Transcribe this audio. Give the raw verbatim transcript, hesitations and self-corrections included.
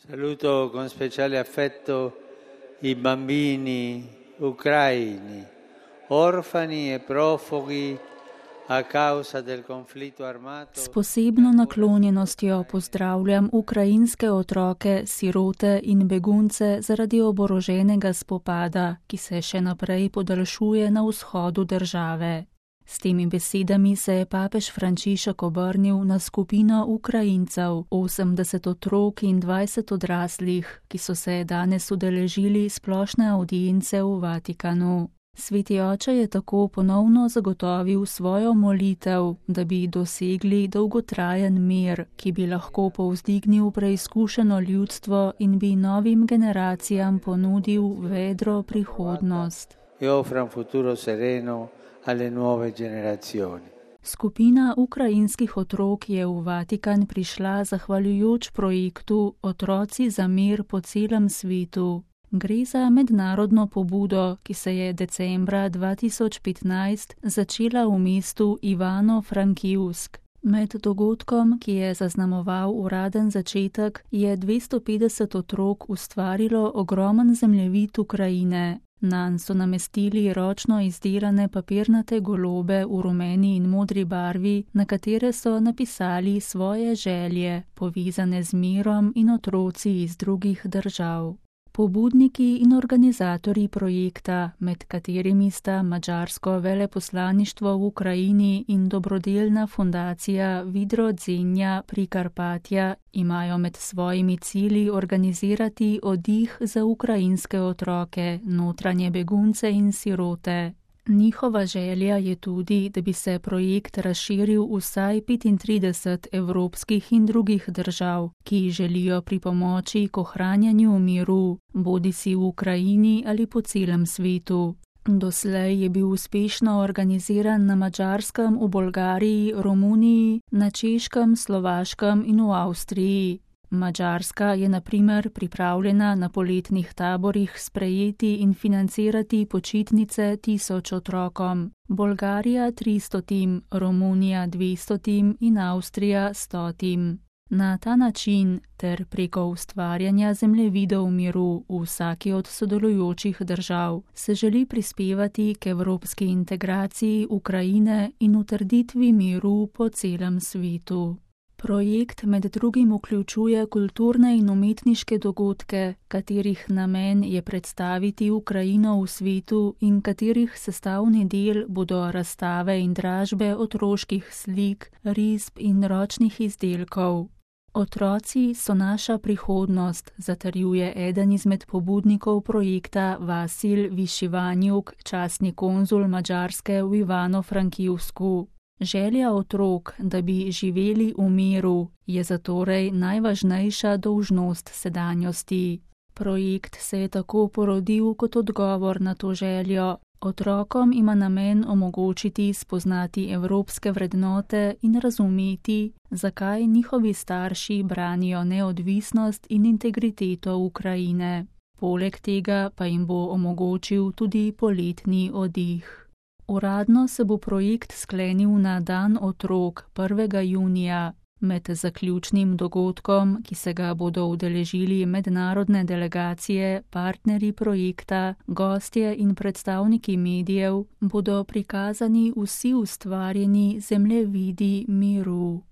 Saluto con speciale affetto i bambini ucraini, orfani e profughi a causa del conflitto armato. S posebno naklonjenostjo pozdravljam ukrajinske otroke, sirote in begunce zaradi oboroženega spopada, ki se še naprej podaljšuje na vzhodu države. S temi besedami se je papež Frančišek obrnil na skupino Ukrajincev, osemdeset otrok in dvajset odraslih, ki so se danes udeležili splošne avdience v Vatikanu. Sveti oče je tako ponovno zagotovil svojo molitev, da bi dosegli dolgotrajen mir, ki bi lahko povzdignil preizkušeno ljudstvo in bi novim generacijam ponudil vedro prihodnost. E offra un futuro sereno alle nuove generazioni. Skupina ukrajinskih otrok je v Vatikan prišla zahvaljujoč projektu Otroci za mir po celem svetu. Gre za mednarodno pobudo, ki se je decembra dva tisoč petnajst začela v mestu Ivano-Frankivsk. Med dogodkom, ki je zaznamoval uraden začetek, je dvesto petdeset otrok ustvarilo ogromen zemljevid Ukrajine. Nanj so namestili ročno izdelane papirnate golobe v rumeni in modri barvi, na katere so napisali svoje želje, povezane z mirom in otroci iz drugih držav. Pobudniki in organizatorji projekta, med katerimi sta madžarsko veleposlaništvo v Ukrajini in dobrodelna fundacija Vidro Dzenja Prikarpatja, imajo med svojimi cilji organizirati oddih za ukrajinske otroke, notranje begunce in sirote. Njihova želja je tudi, da bi se projekt razširil vsaj petintrideset evropskih in drugih držav, ki želijo pripomoči k ohranjanju miru, bodisi v Ukrajini ali po celem svetu. Doslej je bil uspešno organiziran na Madžarskem, v Bolgariji, Romuniji, na Češkem, Slovaškem in v Avstriji. Madžarska je na primer pripravljena na poletnih taborih sprejeti in financirati počitnice tisoč otrokom, Bolgarija tristotim, Romunija dvestotim in Avstrija stotim. Na ta način ter preko ustvarjanja zemljevidov miru v vsaki od sodelujočih držav se želi prispevati k evropski integraciji Ukrajine in utrditvi miru po celem svetu. Projekt med drugim vključuje kulturne in umetniške dogodke, katerih namen je predstaviti Ukrajino v svetu in katerih sestavni del bodo razstave in dražbe otroških slik, risb in ročnih izdelkov. Otroci so naša prihodnost, zatrjuje eden izmed pobudnikov projekta Vasil Višivanjuk, častni konzul Madžarske v Ivano-Frankivsku. Želja otrok, da bi živeli v miru, je zatorej najvažnejša dolžnost sedanjosti. Projekt se je tako porodil kot odgovor na to željo. Otrokom ima namen omogočiti spoznati evropske vrednote in razumeti, zakaj njihovi starši branijo neodvisnost in integriteto Ukrajine. Poleg tega pa jim bo omogočil tudi poletni oddih. Uradno se bo projekt sklenil na dan otrok prvega junija. Med zaključnim dogodkom, ki se ga bodo udeležili mednarodne delegacije, partnerji projekta, gostje in predstavniki medijev, bodo prikazani vsi ustvarjeni zemljevidi miru.